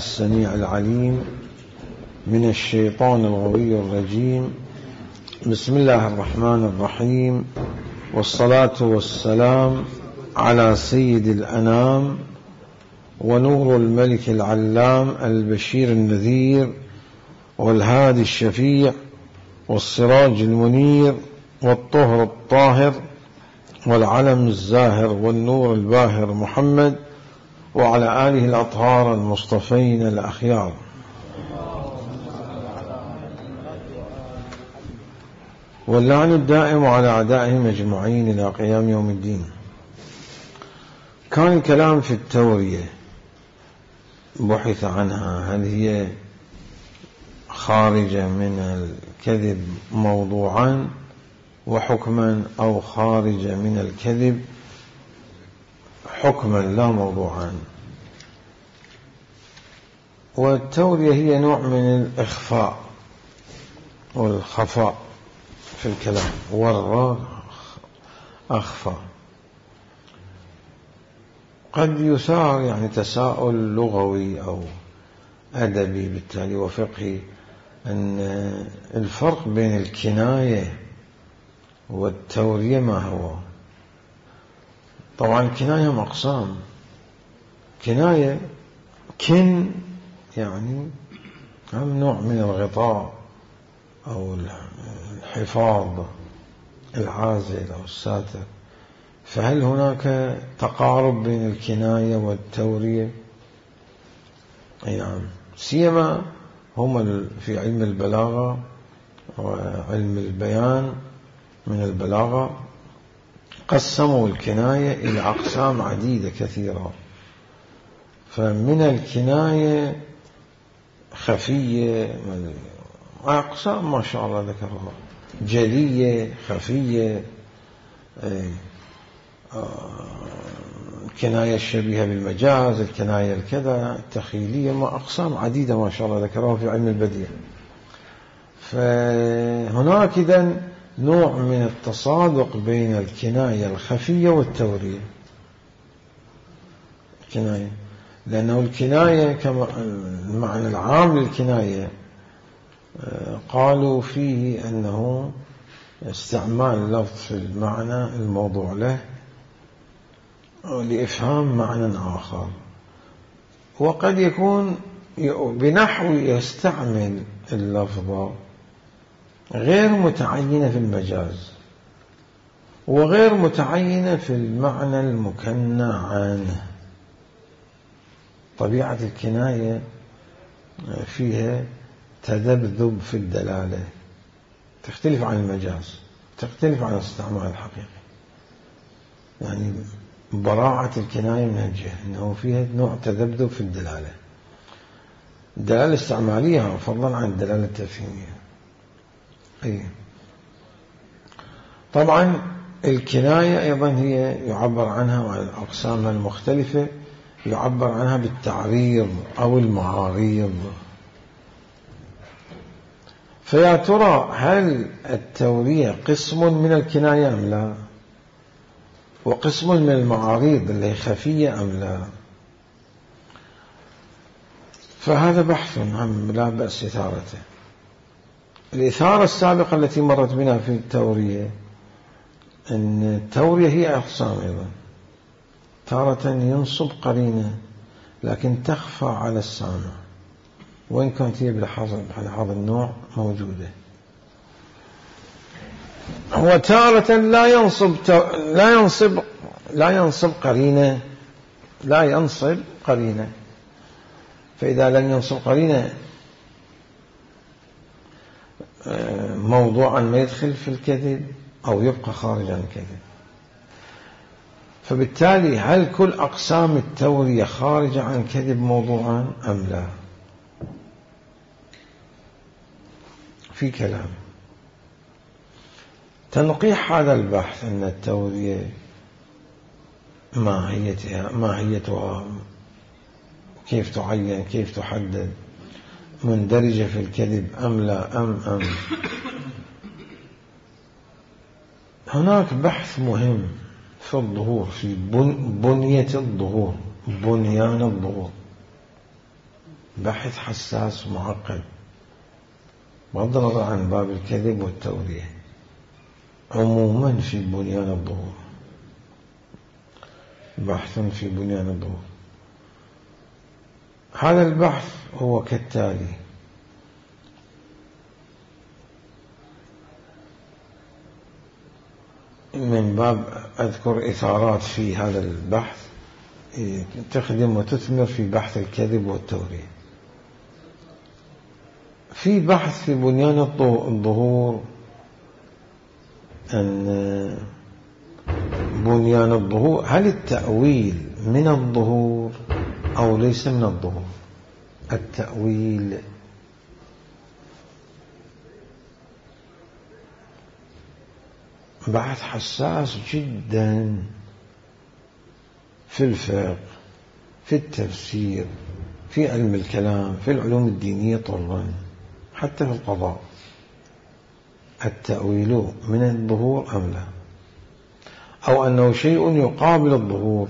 السميع العليم من الشيطان الغوي الرجيم. بسم الله الرحمن الرحيم، والصلاة والسلام على سيد الأنام ونور الملك العلام البشير النذير والهادي الشفيع والسراج المنير والطهر الطاهر والعلم الزاهر والنور الباهر محمد وعلى آله الأطهار المصطفين الأخيار. واللعن الدائم على أعدائهم أجمعين إلى قيام يوم الدين. كان الكلام في التورية، بحث عنها، هل هي خارجة من الكذب موضوعا وحكما أو خارجة من الكذب حكما لا موضوعا. والتورية هي نوع من الإخفاء والخفاء في الكلام، ورى أخفى. قد يثار يعني تساؤل لغوي أو أدبي بالتالي وفقهي أن الفرق بين الكناية والتورية ما هو. طبعا الكناية مقسام، كناية كن يعني هم نوع من الغطاء أو الحفاظ العازل أو الساتر. فهل هناك تقارب بين الكناية والتورية؟ نعم، سيما هم في علم البلاغة وعلم البيان من البلاغة قسموا الكناية إلى أقسام عديدة كثيرة. فمن الكناية خفية، أقسام ما شاء الله ذكرها، جلية، خفية، الكناية الشبيهة بالمجاز، الكناية الكذا، التخيلية، ما أقسام عديدة ما شاء الله ذكرها في علم البديع. فهناك إذن نوع من التصادق بين الكناية الخفية والتورية. الكناية لأنه الكناية كما المعنى العام للكناية قالوا فيه أنه استعمال لفظ في المعنى الموضوع له لإفهام معنى آخر، وقد يكون بنحو يستعمل اللفظ غير متعينة في المجاز وغير متعينة في المعنى المكنى عنه. طبيعة الكناية فيها تذبذب في الدلالة، تختلف عن المجاز، تختلف عن الاستعمال الحقيقي. يعني براعة الكناية من الجهة أنه فيها نوع تذبذب في الدلالة، الدلالة الاستعمالية فضلا عن الدلالة التفهيمية. طبعا الكناية أيضا هي يعبر عنها وعن أقسامها المختلفة يعبر عنها بالتعريض أو المعاريض. فيا ترى هل التورية قسم من الكناية أم لا، وقسم من المعاريض اللي هي خفية أم لا؟ فهذا بحث عام لا بأس إثارته. الإثارة السابقة التي مرت بنا في التورية أن التورية هي أقسام أيضا، تارة ينصب قرينة لكن تخفى على السامع وإن كانت هي بلحاظ النوع موجودة، وتارة لا ينصب قرينة. فإذا لم ينصب قرينة موضوعا ما يدخل في الكذب أو يبقى خارج عن الكذب. فبالتالي هل كل أقسام التورية خارجة عن الكذب موضوعا أم لا؟ في كلام. تنقيح هذا البحث أن التورية ماهيتها كيف تعين، كيف تحدد، مندرجة في الكذب أم لا أم هناك بحث مهم في الظهور، في بنية الظهور، بنيان الظهور. بحث حساس ومعقد بغض النظر عن باب الكذب والتورية عموما في بنيان الظهور. بحث في بنيان الظهور. هذا البحث هو كالتالي: من باب أذكر إثارات في هذا البحث تخدم وتثمر في بحث الكذب والتورية. في بحث في بنيان الظهور أن بنيان الظهور هل التأويل من الظهور أو ليس من الظهور؟ التأويل بحث حساس جدا في الفقه، في التفسير، في علم الكلام، في العلوم الدينية طرا، حتى في القضاء. التأويل من الظهور أم لا، أو أنه شيء يقابل الظهور.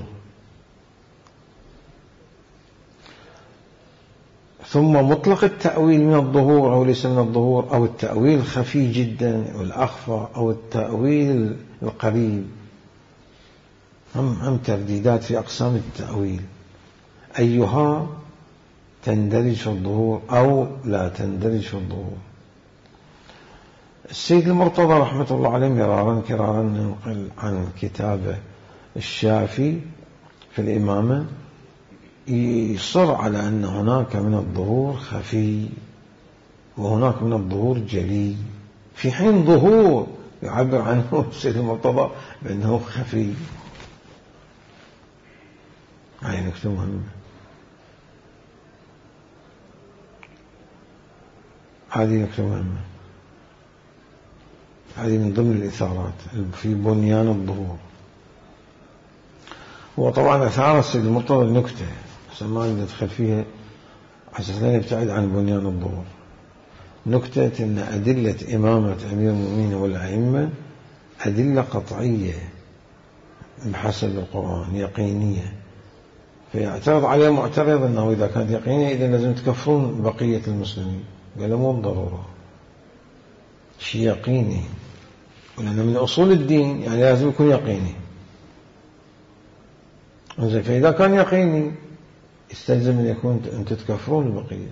ثم مطلق التأويل من الظهور أو ليس من الظهور، أو التأويل خفي جدا والأخفى، أو التأويل القريب. هم ترديدات في أقسام التأويل، أيها تندرج في الظهور أو لا تندرج في الظهور. السيد المرتضى رحمة الله عليه مرارا كرارا ننقل عن كتابه الشافي في الإمامة يصر على أن هناك من الظهور خفي وهناك من الظهور جلي، في حين ظهور يعبر عنه السيد المرتضى بأنه خفي. هاي نكتة مهمة. هذه نكتة مهمة، هذه من ضمن الإثارات في بنيان الظهور. وطبعا أثار السيد المرتضى النكتة ما ندخل فيها حسنا لا نبتعد عن بنيان الظهور. نكتة أن أدلة إمامة أمير المؤمنين والأئمة أدلة قطعية بحسب القرآن يقينية، فيعترض عليه معترض أنه إذا كانت يقينية إذا لازم تكفرون بقية المسلمين. قال مو بالضرورة، شيء يقيني، ولأن من أصول الدين يعني لازم يكون يقيني. فإذا كان يقيني يستلزم أن يكون أن تتكفرون البقية،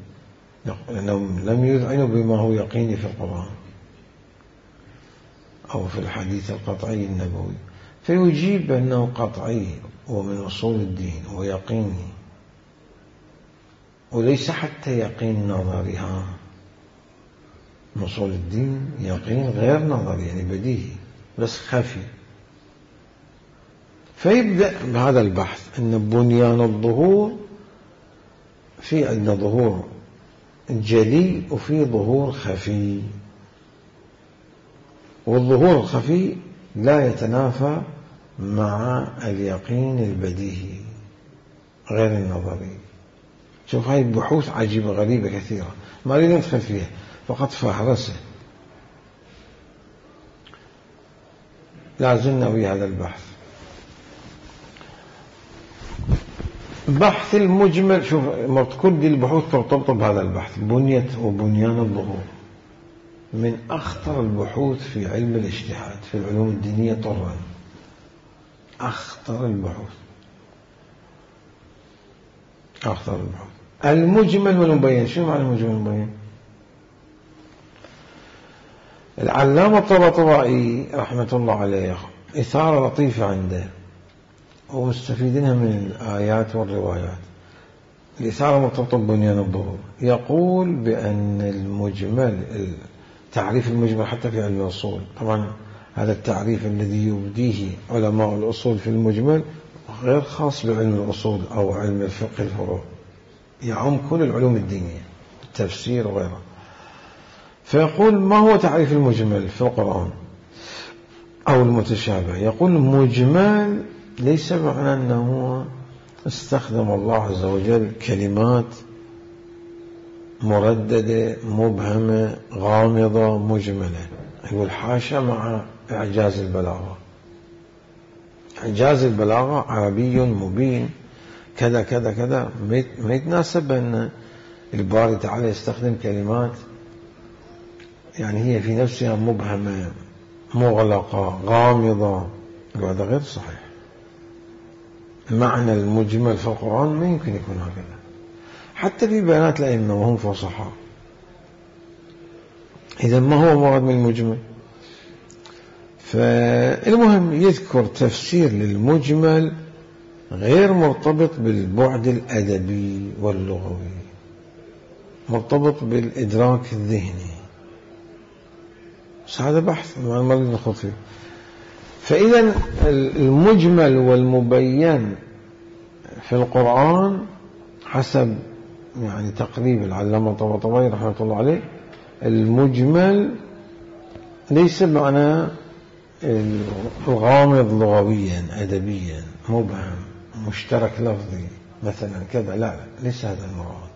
لأنهم لم يذعنوا بما هو يقيني في القرآن أو في الحديث القطعي النبوي، فيجيب أنه قطعي ومن أصول الدين ويقيني، وليس حتى يقين نظرها. من أصول الدين يقين غير نظري يعني بديهي بس خفي. فيبدأ بهذا البحث أن بنيان الظهور في عندنا ظهور جلي وفي ظهور خفي، والظهور الخفي لا يتنافى مع اليقين البديهي غير النظري. شوف هاي بحوث عجيبة غريبة كثيرة ما أريد ندخل فيها، فقط فهرسة. لازلنا ويا هذا البحث. بحث المجمل، شوف كل دي البحوث ترتبط بهذا البحث. بنية وبنيان الظهور من أخطر البحوث في علم الاجتهاد في العلوم الدينية طرا، أخطر البحوث. أخطر البحوث. المجمل والمبين، شو معنى المجمل والمبين؟ العلامة الطباطبائي رحمة الله عليه إثارة لطيفة عنده ومستفيدينها من الآيات والروايات. الإثارة مرتبطة ببنيان الظهور. يقول بأن المجمل، تعريف المجمل حتى في علم الأصول، طبعا هذا التعريف الذي يبديه علماء الأصول في المجمل غير خاص بعلم الأصول أو علم الفقه الفروع، يعم كل العلوم الدينية التفسير وغيره. فيقول ما هو تعريف المجمل في القرآن أو المتشابه؟ يقول مجمل ليس معنى أنه استخدم الله عز وجل كلمات مرددة مبهمة غامضة مجملة. يقول حاشا مع إعجاز البلاغة. إعجاز البلاغة عربي مبين كذا كذا كذا، ما يتناسب أن الباري تعالى يستخدم كلمات يعني هي في نفسها مبهمة مغلقة غامضة، وهذا غير صحيح. المعنى المجمل في القرآن ما يمكن يكون هكذا، حتى في بيانات الأئمة وهم فصحاء. إذا ما هو مراد من المجمل؟ فالمهم يذكر تفسير للمجمل غير مرتبط بالبعد الأدبي واللغوي، مرتبط بالإدراك الذهني. بس هذا بحث ما نريد نخوض فيه. فإذا المجمل والمبين في القرآن حسب يعني تقريب العلامة الطباطبائي رحمة الله عليه، المجمل ليس معنى الغامض لغويا أدبيا مبهم مشترك لفظي مثلا كذا، لا ليس هذا المراد.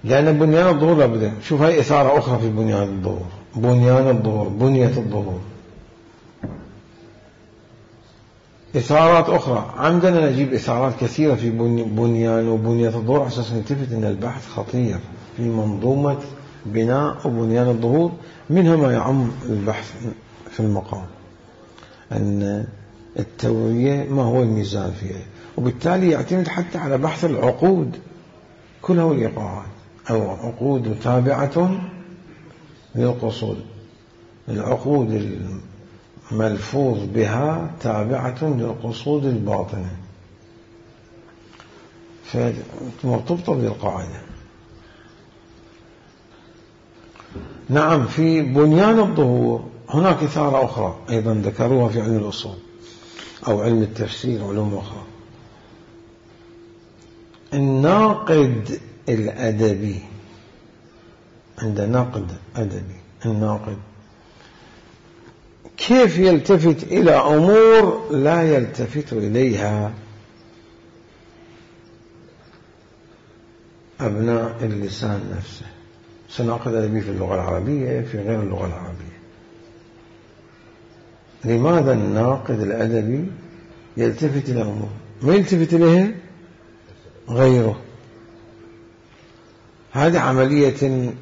لأن بنيان الظهور لابد، شوف هاي إثارة أخرى في بنيان الظهور، بنيان الظهور، بنية الظهور، إثارات أخرى. عندنا نجيب إثارات كثيرة في بنيان وبنية الظهور على أساس نلتفت أن البحث خطير في منظومة بناء وبنيان الظهور، منها ما يعم البحث في المقام أن التوعية ما هو الميزان فيها، وبالتالي يعتمد حتى على بحث العقود كلها والإيقاعات، أو عقود تابعة للقصود، العقود الملفوظ بها تابعة للقصود الباطنة، فمرتبطة بالقاعدة. نعم، في بنيان الظهور هناك إثارة أخرى أيضا ذكروها في علم الأصول أو علم التفسير وعلوم أخرى. الناقد الأدبي، عند ناقد أدبي، الناقد كيف يلتفت إلى أمور لا يلتفت إليها أبناء اللسان نفسه. سناقد أدبي في اللغة العربية في غير اللغة العربية. لماذا الناقد الأدبي يلتفت إلى أمور ما يلتفت إليها غيره؟ هذه عملية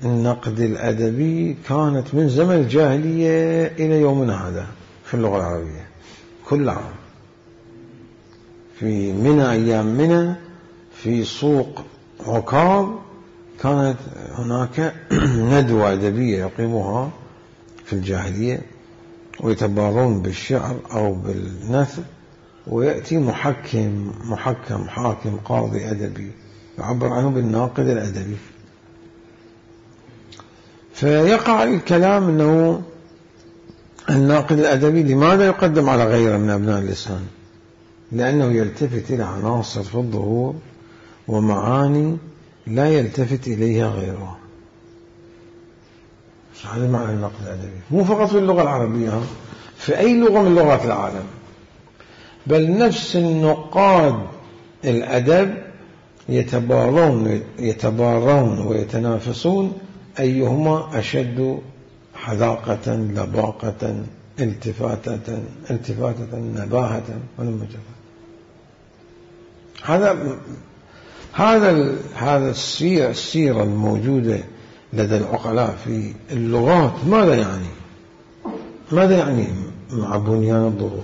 النقد الأدبي كانت من زمن الجاهلية إلى يومنا هذا في اللغة العربية. كل عام في منى، أيام منى، في سوق عكاظ كانت هناك ندوة أدبية يقيموها في الجاهلية، ويتبارون بالشعر أو بالنثر، ويأتي حاكم قاضي أدبي يعبر عنه بالناقد الأدبي. فيقع الكلام أنه الناقد الأدبي لماذا يقدم على غيره من أبناء اللسان؟ لأنه يلتفت إلى عناصر في الظهور ومعاني لا يلتفت إليها غيره. هذا معنى النقد الأدبي، مو فقط في اللغة العربية، في أي لغة من لغات العالم، بل نفس النقاد الأدب يتبارون ويتنافسون أيهما أشد حذاقة، لباقة، التفاتة، نباهة والمجرد. هذا السيرة الموجودة لدى العقلاء في اللغات ماذا يعني مع بنيان الظهور؟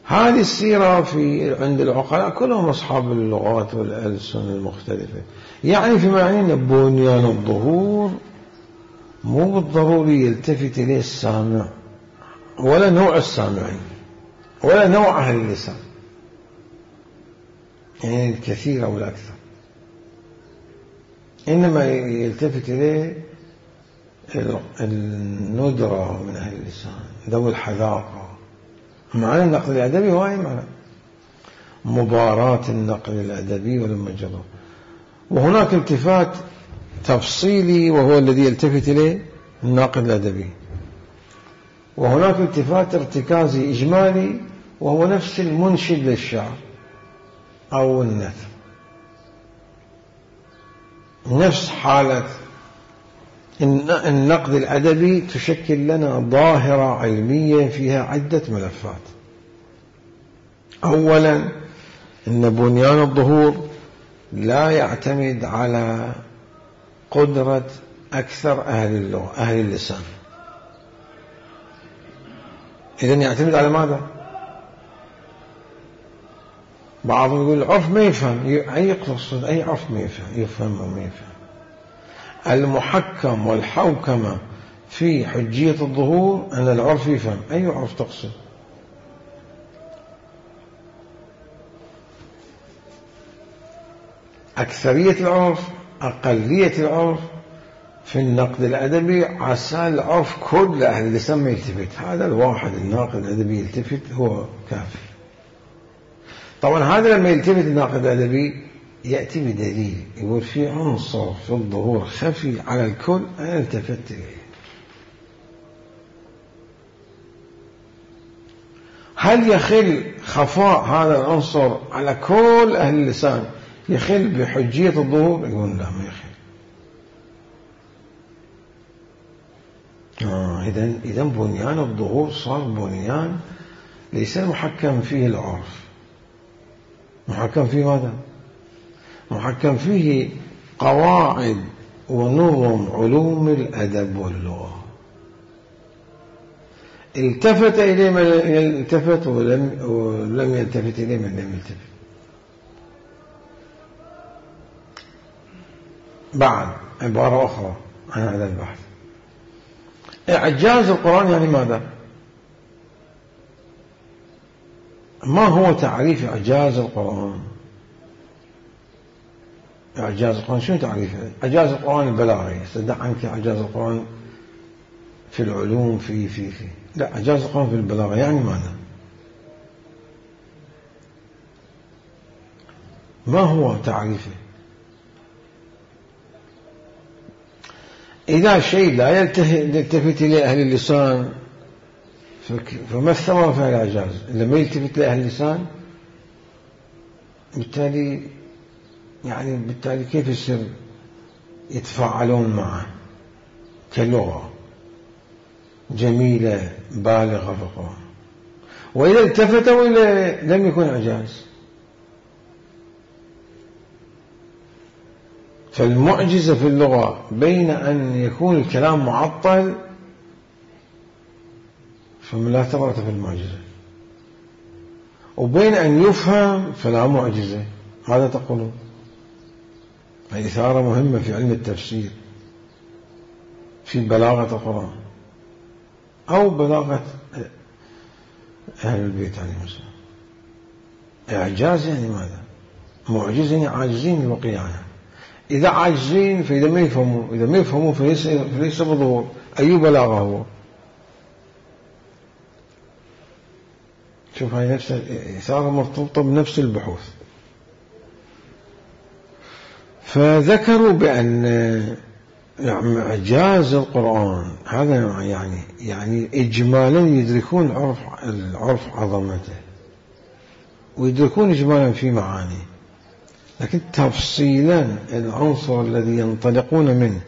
هذه السيرة عند العقلاء كلهم أصحاب اللغات والألسن المختلفة، يعني فيما يعني أن بنيان الظهور مو بالضروري يلتفت إليه السامع ولا نوع السامعين ولا نوع أهل اللسان، يعني الكثير أو الأكثر، إنما يلتفت إليه الندرة من أهل اللسان ذوي الحذاقة. معنى النقد الأدبي هو أي معنى مباراة النقد الأدبي والمجرد. وهناك التفات تفصيلي وهو الذي يلتفت إليه الناقد الأدبي، وهناك التفات ارتكازي إجمالي وهو نفس المنشد للشعر أو النثر. نفس حالة النقد الأدبي تشكل لنا ظاهرة علمية فيها عدة ملفات. أولا إن بنيان الظهور لا يعتمد على قدرة أكثر أهل اللغة أهل اللسان. إذن يعتمد على ماذا؟ بعضهم يقول العرف ما يفهم، أي يقصد أي عرف ما يفهم أو ما يفهم. المحكم والحوكمة في حجية الظهور أن العرف يفهم. أي عرف تقصد؟ أكثرية العرف، أقلية العرف. في النقد الأدبي عسى العرف كل أهل اللسان ما يلتفت، هذا الواحد الناقد الأدبي يلتفت هو كافي. طبعا هذا لما يلتفت الناقد الأدبي يأتي بدليل، يقول في عنصر في الظهور خفي على الكل أنا التفت إليه. هل يخل خفاء هذا العنصر على كل أهل اللسان يخل بحجية الظهور؟ يقول لا، ما يخل. إذن بنيان الظهور صار بنيان ليس محكم فيه العرف. محكم فيه ماذا؟ محكم فيه قواعد ونظم علوم الأدب واللغة. التفت إليه من التفت ولم يلتفت إليه من لم يلتفت. بعد عبارة أخرى عن هذا البحث، إعجاز القرآن يعني ماذا؟ ما هو تعريف إعجاز القرآن؟ إعجاز القرآن شنو تعريفه؟ إعجاز القرآن البلاغي، دع عنك إعجاز القرآن في العلوم في لا، إعجاز القرآن في البلاغة يعني ماذا؟ ما هو تعريفه؟ إذا شيء لا يلتفت إليه أهل اللسان فما الثمرة في الإعجاز؟ إذا ما يلتفت لأهل اللسان بالتالي كيف يصير يتفاعلون معه كلغة جميلة بالغة في القرآن؟ وإذا التفتوا إلى لم يكن إعجاز. فالمعجزة في اللغة بين أن يكون الكلام معطل فلا ثمرة في المعجزة، وبين أن يفهم فلا معجزة. هذا تقولون. إثارة مهمة في علم التفسير في بلاغة القرآن أو بلاغة أهل البيت عليهم السلام. إعجاز يعني ماذا؟ معجز يعني عاجزين البقية عنها. إذا عاجزين فإذا ما يفهموا فليس بظهور. أي بلاغة هو؟ شوف، هاي نفس إثارة مرتبطة بنفس البحوث. فذكروا بأن إعجاز القرآن هذا يعني إجمالا يدركون العرف عظمته ويدركون إجمالا في معانيه، لكن تفصيلا العنصر الذي ينطلقون منه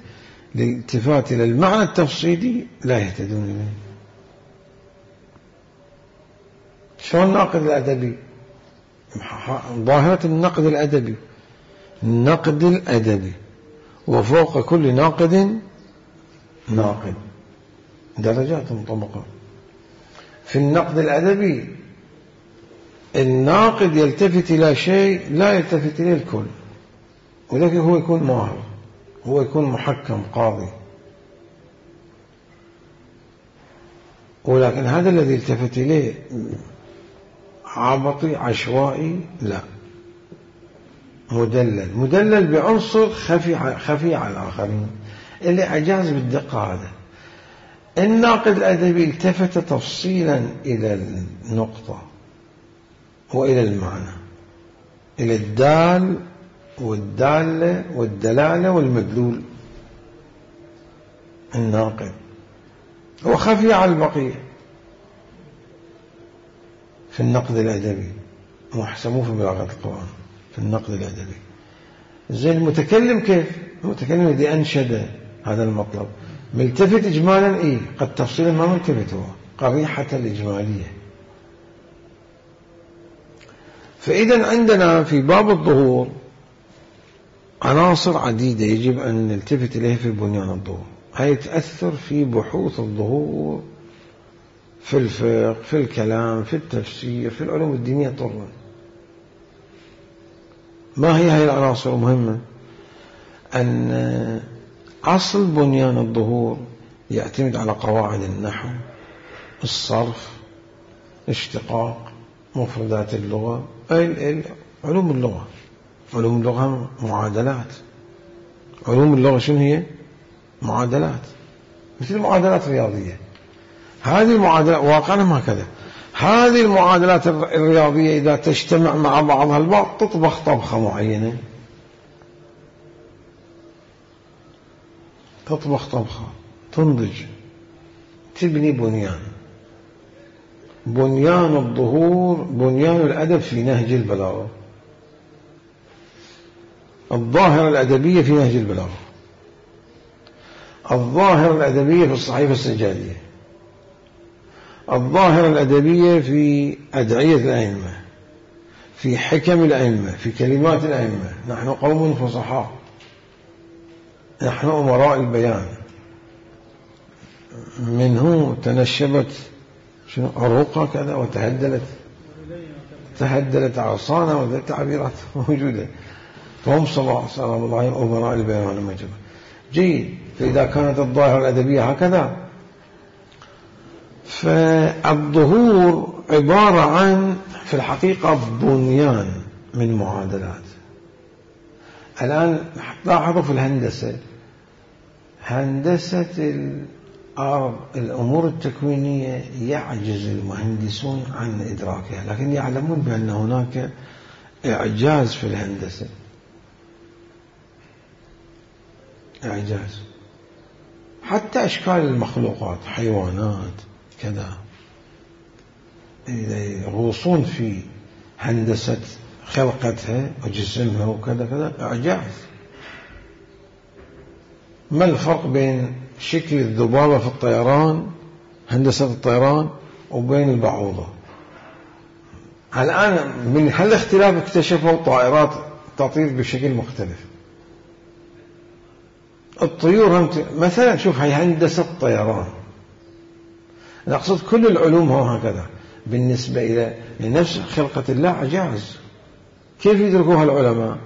للالتفات إلى المعنى التفصيلي لا يهتدون إليه. شو الناقد الأدبي؟ ظاهرة النقد الأدبي. النقد الأدبي وفوق كل ناقد ناقد، درجات طبقات. في النقد الأدبي الناقد يلتفت إلى شيء لا يلتفت إليه الكل، ولكن هو يكون ماهر، هو يكون محكم قاضي. ولكن هذا الذي يلتفت إليه عبطي عشوائي لا، مدلل بعنصر خفي على الآخرين. اللي إعجاز بالدقة هذا. الناقد الأدبي التفت تفصيلا إلى النقطة وإلى المعنى، إلى الدال والدالة والدلالة والمدلول. الناقد هو خفي على البقية في النقد الأدبي، وحسموه في بلاغة القرآن في النقد الأدبي. زي المتكلم، كيف المتكلم الذي أنشد هذا المطلب ملتفت إجمالا قد تفصيلا ما ملتفت هو، قريحة الإجمالية. فإذا عندنا في باب الظهور عناصر عديدة يجب أن نلتفت إليها في بنيان الظهور، هي تأثر في بحوث الظهور في الفقه، في الكلام، في التفسير، في العلوم الدينية طبعا. ما هي العناصر المهمة؟ أن أصل بنيان الظهور يعتمد على قواعد النحو، الصرف، اشتقاق، مفردات اللغة، علوم اللغة. علوم اللغة معادلات. علوم اللغة شنو هي؟ معادلات، مثل معادلات رياضية. هذه المعادلات واقعا هكذا، هذه المعادلات الرياضية إذا تجتمع مع بعضها البعض تطبخ طبخة معينة، تطبخ طبخة، تنضج، تبني بنيان. بنيان الظهور بنيان الأدب في نهج البلاغة، الظاهرة الأدبية في نهج البلاغة، الظاهرة الأدبية في الصحيفة السجادية، الظاهرة الأدبية في أدعية الأئمة، في حكم الأئمة، في كلمات الأئمة. نحن قوم فصحاء، نحن أمراء البيان. منه تنشبت عروقها كذا وتهدلت عصانا، وذي تعبيرات موجودة. فهم صلى الله أمراء البيان والمجد. جيد. فإذا كانت الظاهرة الأدبية هكذا، فالظهور عبارة عن في الحقيقة بنيان من معادلات. الآن لاحظوا في الهندسة، هندسة الأرض، الأمور التكوينية يعجز المهندسون عن إدراكها، لكن يعلمون بأن هناك إعجاز في الهندسة، إعجاز. حتى أشكال المخلوقات، حيوانات كذا، يغوصون في هندسة خلقتها وجسمها وكذا كذا، إعجاز. ما الفرق بين شكل الذبابة في الطيران، هندسة الطيران، وبين البعوضة؟ الآن من هالاختلاف اكتشفوا طائرات تطير بشكل مختلف. الطيور مثلا، شوف هي هندسة طيران، نقصد كل العلوم هو هكذا بالنسبة إلى نفس خلقة الله إعجاز. كيف يدركوها العلماء؟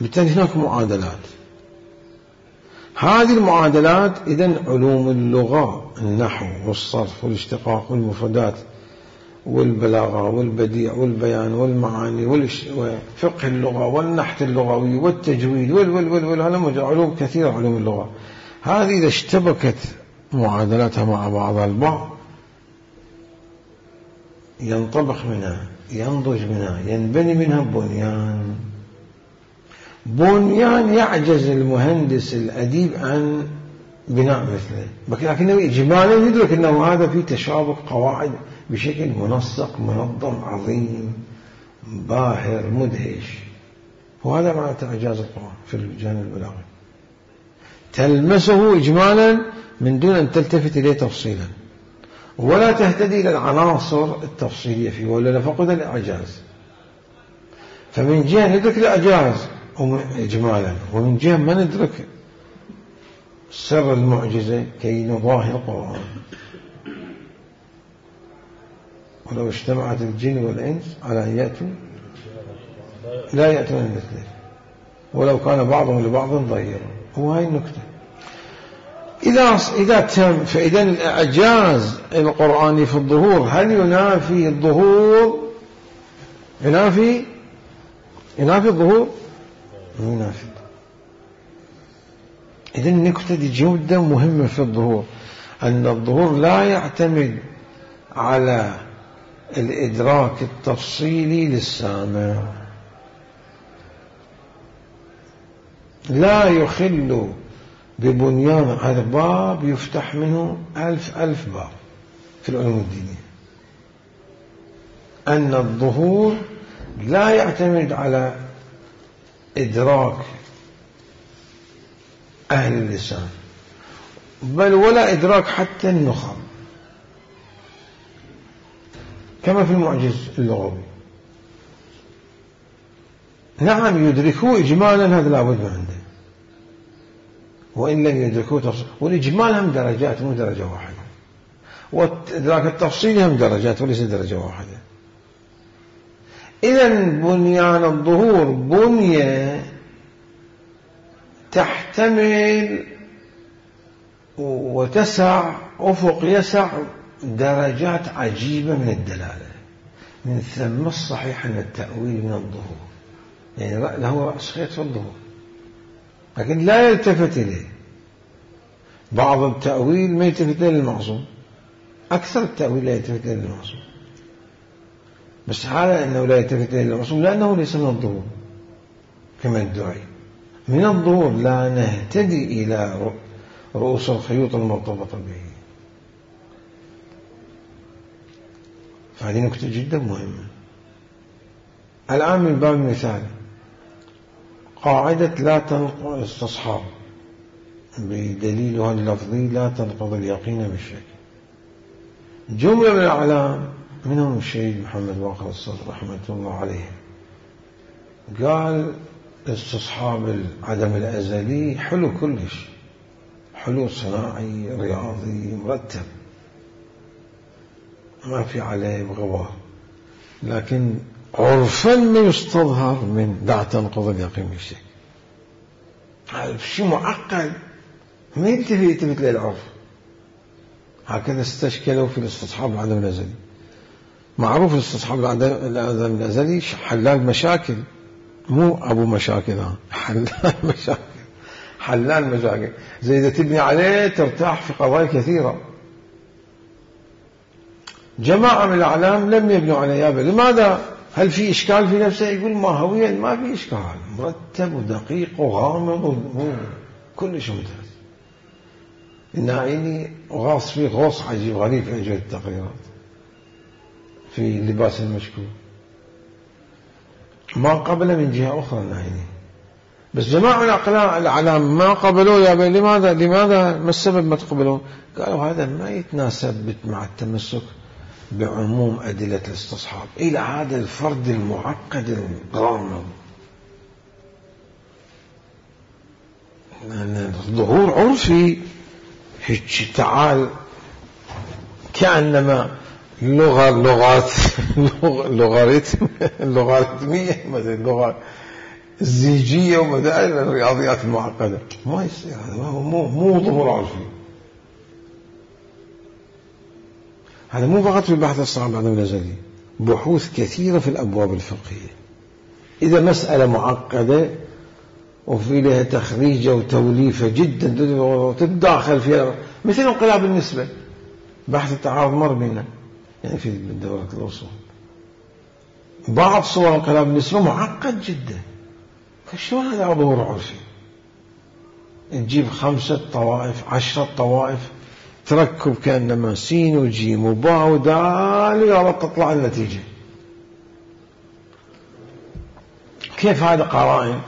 بالتالي هناك معادلات. هذه المعادلات إذن علوم اللغة، النحو والصرف والاشتقاق والمفردات والبلاغة والبديع والبيان والمعاني وفقه اللغة والنحت اللغوي والتجويد هذا علوم كثيرة. علوم اللغة هذه إذا اشتبكت معادلاتها مع بعضها البعض ينطبخ منها، ينضج منها، ينبني منها بنيان يعجز المهندس الأديب عن بناء مثله، لكنه إجمالا يدرك أنه هذا في تشابك قواعد بشكل منسق منظم عظيم باهر مدهش. وهذا معنى إعجاز القرآن في الجانب البلاغي، تلمسه إجمالا من دون أن تلتفت إليه تفصيلا، ولا تهتدي إلى العناصر التفصيلية فيه، ولا فقد الإعجاز. فمن جهة ندرك الإعجاز إجمالا، ومن جهة ما ندرك سر المعجزة كي نضاهي القرآن. ولو اجتمعت الجن والإنس على أن يأتوا لا يأتون مثله ولو كان بعضهم لبعض ظهيرا. وهي النكتة. إذا تم، فإذا الإعجاز القرآني في الظهور هل ينافي الظهور؟ ينافي الظهور؟ ينافي. إذا النكتة دي جدا مهمة في الظهور، أن الظهور لا يعتمد على الإدراك التفصيلي للسامع، لا يخل ببنيان. هذا باب يفتح منه 1000 باب في العلوم الدينية. أن الظهور لا يعتمد على إدراك أهل اللسان، بل ولا إدراك حتى النخب، كما في المعجز اللغوي. نعم يدركوه إجمالا، هذا لابد من عنده، وإن لم يدركوه تفصيل. والإجمال هم درجات مو درجة واحدة، وإدراك التفصيل هم درجات وليس درجة واحدة. إذن بنيان الظهور بنية تحتمل وتسع أفق يسع درجات عجيبة من الدلالة، من ثم الصحيح أن التأويل من الظهور، يعني له رأس خيط في الظهور لكن لا يلتفت إليه. بعض التأويل ما يلتفت إليه للمعصوم، أكثر التأويل لا يلتفت إليه للمعصوم، بس هذا أنه لا يلتفت إليه للمعصوم لأنه ليس من الظهور كما يدعي. من الظهور لا نهتدي إلى رؤوس الخيوط المرتبطة به. فهذه نكتة جدا مهمة. الآن من باب المثال قاعدة لا تنقض استصحاب بدليلها اللفظي لا تنقض اليقين بالشك. جملة من الأعلام منهم الشهيد محمد باقر الصدر رحمة الله عليه قال استصحاب العدم الأزلي حلو كلش، حلو صناعي رياضي مرتب ما في عليه غبار، لكن عرفا ما يستظهر من لا تنقض اليقين بالشك. هذا شيء معقد ما يلتفت للعرف. هكذا استشكلوا في الاستصحاب العدم الأزلي. معروف الاستصحاب العدم الأزلي حلال مشاكل، مو أبو مشاكل، حلال مشاكل، حلال مشاكل. زي إذا تبني عليه ترتاح في قضايا كثيرة. جماعة من الأعلام لم يبنوا عليه أبدا. لماذا؟ هل في إشكال في نفسه؟ يقول ماهويا ما في إشكال، مرتب ودقيق وغامض كلش ممتاز. الناعيني غاص فيه غوص عجيب غريب في أجل التقريرات في لباس المشكوك، ما قبل من جهة أخرى الناعيني، بس جماعة الأعلام ما قبلوا. يا بي لماذا ما السبب ما تقبلون؟ قالوا هذا ما يتناسب مع التمسك بعموم أدلة الاستصحاب إلى هذا الفرد المعقد الغامض. ظهور عرفي هيك تعال كأنما لغاريتمية مثل اللغة الزيجية ومثلا الرياضيات المعقدة، ما يصير. هذا مو ظهور عرفي. هذا مو فقط في البحث الصعب عن الأزلي، بحوث كثيرة في الأبواب الفقهية. إذا مسألة معقدة وفي لها تخريجة وتوليفة جدا تتداخل فيها، مثل انقلاب النسبة، بحث التعارض مر بنا يعني في الدورة الأصول، بعض صور انقلاب النسبة معقد جدا. فشلون هذا ظهور عرفي؟ تجيب 5 طوائف 10 طوائف تركب كأنما سين وجيم وباء ودال يلا تطلع النتيجة. كيف هذا قرائن؟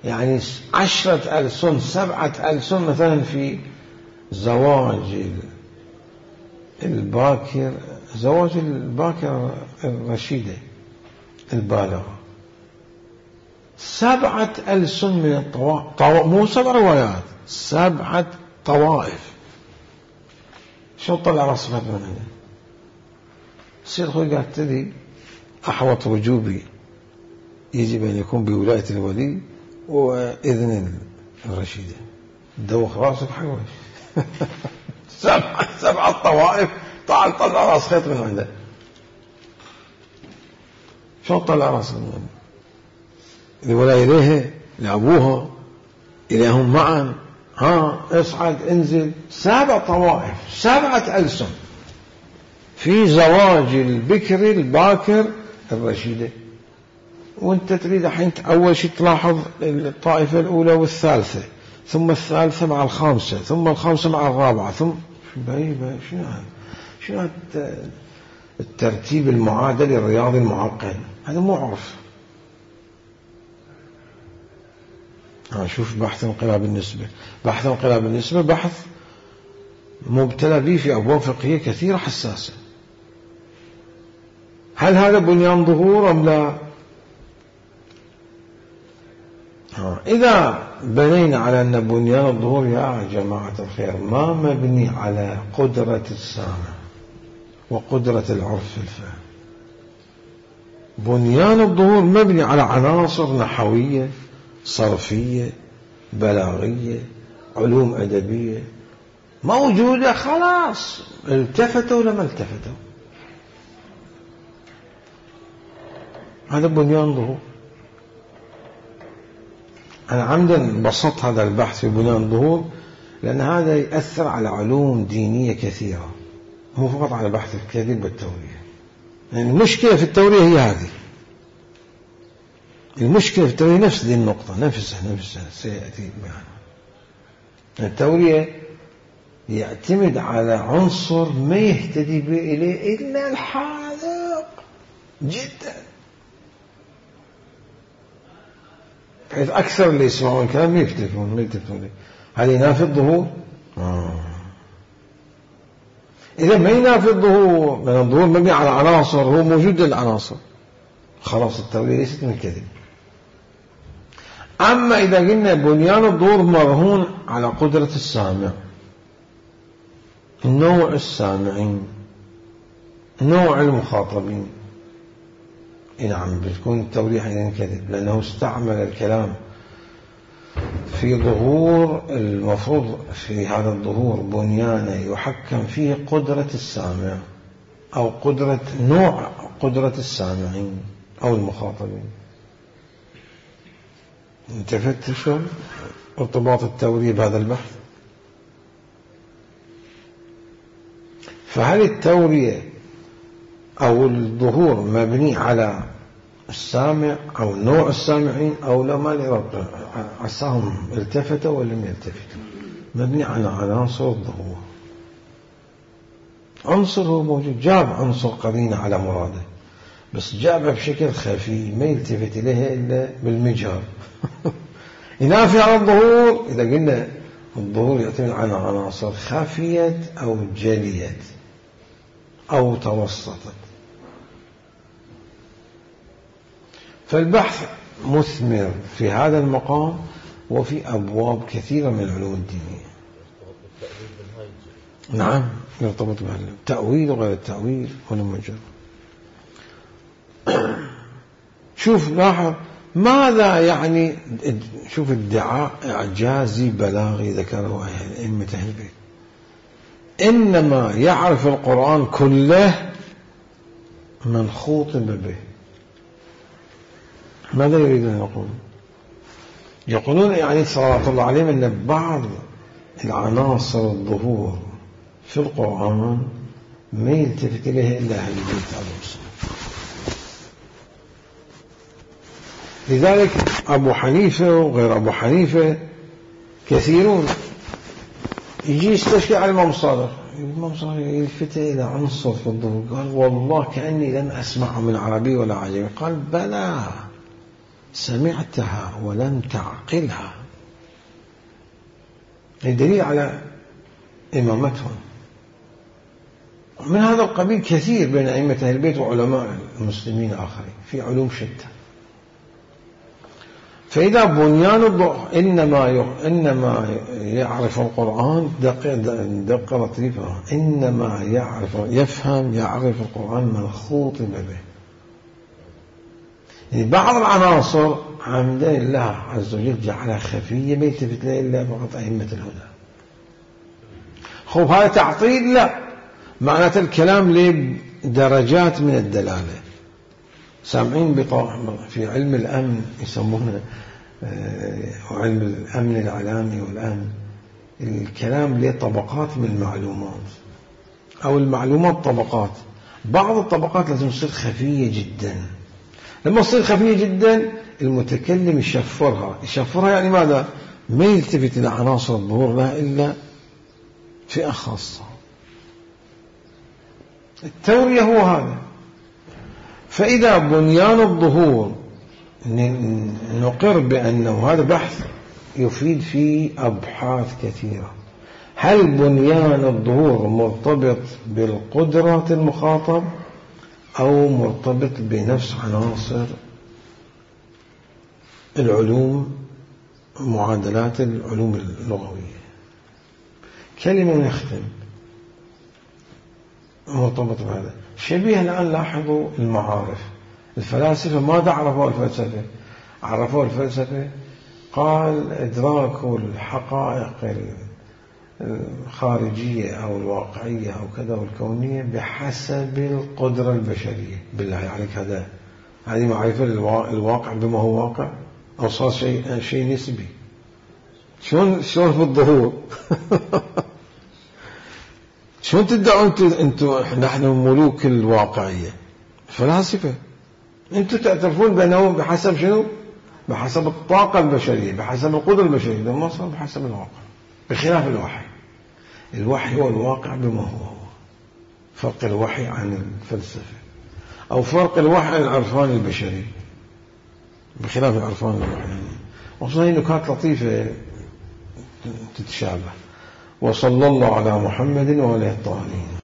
يعني 10 ألسن 7 ألسن مثلا في زواج الباكر، زواج الباكر الرشيدة البالغة، 7 ألسن من الطوائف، مو 7 روايات، 7 طوائف. شو طلع رصفت من هنا؟ السيد خوي قال تدري أحوط وجوبي يجب أن يكون بولاية الولي وإذن الرشيدة. دوخ راسك حيوش. 7 طوائف تعال طلع راس خيط من عنده. شو طلع راسك من عنده؟ الولاية إليها لأبوها إليهم معا، اصعد انزل. 7 طوائف 7 ألسن في زواج البكر الباكر الرشيدة. وانت تريد الحين أول شيء تلاحظ الطائفة الأولى والثالثة، ثم الثالثة مع الخامسة، ثم الخامسة مع الرابعة، ثم شنو هذا الترتيب المعادل الرياضي المعقد؟ هذا مو عرف. شوف بحث انقلاب النسبة. بحث انقلاب النسبة بحث مبتلى به في أبواب فقهية كثيرة حساسة. هل هذا بنيان ظهور أم لا؟ إذا بنينا على أن بنيان الظهور يا جماعة الخير ما مبني على قدرة السامع وقدرة العرف في الفهم، بنيان الظهور مبني على عناصر نحوية صرفية بلاغية علوم أدبية موجودة، خلاص التفتوا ولا ما التفتوا، هذا بنيان ظهور. أنا عمدا بسطت هذا البحث في بنيان الظهور لأن هذا يأثر على علوم دينية كثيرة، مو فقط على بحث الكذب والتورية. يعني المشكلة في التورية هي هذه، المشكلة في التورية نفس دي النقطة نفسها سيأتي معنا. التورية يعتمد على عنصر ما يهتدي به إليه إلا الحاذق جدا، حيث أكثر اللي يسمعون الكلام ما يلتفتون له. هل ينافي الظهور؟ إذا ما ينافي الظهور، من الظهور مبني على عناصر هو موجود العناصر، خلاص التورية ليست من كذب. أما إذا قلنا بنيان الظهور مرهون على قدرة السامع، نوع السامعين، نوع المخاطبين، نعم بتكون التورية حينئذ كذب، لأنه استعمل الكلام في ظهور المفروض في هذا الظهور بنيانه يحكم فيه قدرة السامع أو نوع قدرة السامعين أو المخاطبين. انتفدت شلون ارتباط التورية بهذا البحث؟ فهل التورية أو الظهور مبني على السامع أو نوع السامعين أو لا؟ ما عساهم التفتوا ولا لم يلتفتوا، مبني على عناصر الظهور. عنصر هو موجود، جاب عنصر قرينة على مراده، بس جابها بشكل خفي ما يلتفت إليها إلا بالمجهر. ينافي على الظهور إذا قلنا الظهور يعتمد على عناصر خفيت أو جليت أو توسطت. فالبحث مثمر في هذا المقام وفي أبواب كثيرة من العلوم الدينية. نعم يرتبط بالتأويل وغير التأويل والمجر. شوف لاحظ ماذا يعني، شوف ادعاء إعجازي بلاغي ذكره أئمة أهل البيت، إنما يعرف القرآن كله من خوطب به. ماذا يريدون يقولون؟ يقولون يعني صلوات الله عليهم أن بعض العناصر الظهور في القرآن ما يلتفت إليها إلا أهل البيت عليهم السلام. لذلك أبو حنيفة وغير أبو حنيفة كثيرون يجي يستشكي على الإمام الصادق، الإمام الصادق يلفت إلى عنصر في الظهور، قال والله كأني لم أسمعه من عربي ولا عجمي. قال بلى سمعتها ولم تعقلها، الدليل على إمامتهم. من هذا القبيل كثير بين أئمة أهل البيت وعلماء المسلمين الآخرين في علوم شتى. فإذا بنيان الظهور إنما يعرف القرآن دقة لطيفة، إنما يعرف القرآن من خوطب به. يعني بعض العناصر عمدا الله عز وجل جعلها خفية ما يلتفت لها إلا فقط أئمة الهدى. هذا تعطيل؟ لا، معناته الكلام له درجات من الدلالة. سامعين في علم الأمن يسمونه علم الأمن الإعلامي والأمن، الكلام له طبقات من المعلومات أو المعلومات طبقات. بعض الطبقات لازم تصير خفية جدا، لما تصير خفية جدا المتكلم يشفرها يعني ماذا؟ ما يلتفت إلى عناصر الظهور لها إلا فئة خاصة. التورية هو هذا. فإذا بنيان الظهور نقر بأنه هذا بحث يفيد فيه أبحاث كثيرة. هل بنيان الظهور مرتبط بالقدرة المخاطب أو مرتبط بنفس عناصر العلوم معادلات العلوم اللغوية. كلمة نختم مرتبط بهذا شبيه. الآن لاحظوا المعارف. الفلاسفة ماذا عرفوا الفلسفة؟ عرفوا الفلسفة قال إدراك الحقائق الخارجية أو الواقعية أو كذا والكونية بحسب القدرة البشرية. بالله عليك هذه معرفة الواقع بما هو واقع أو صار شيء نسبي. شلون في الظهور شلون تدعون أنتم نحن ملوك الواقعية؟ فلاسفة. أنتم تعترفون بأنه بحسب شنو؟ بحسب الطاقة البشرية، بحسب القدرة البشرية. لما صار بحسب الواقع، بخلاف الوحي. الوحي هو الواقع بما هو. فرق الوحي عن الفلسفة، أو فرق الوحي عن العرفان البشري بخلاف العرفان الوحي. وصلنا نكات لطيفة تتشابه. وصلى الله على محمد وآله الطاهرين.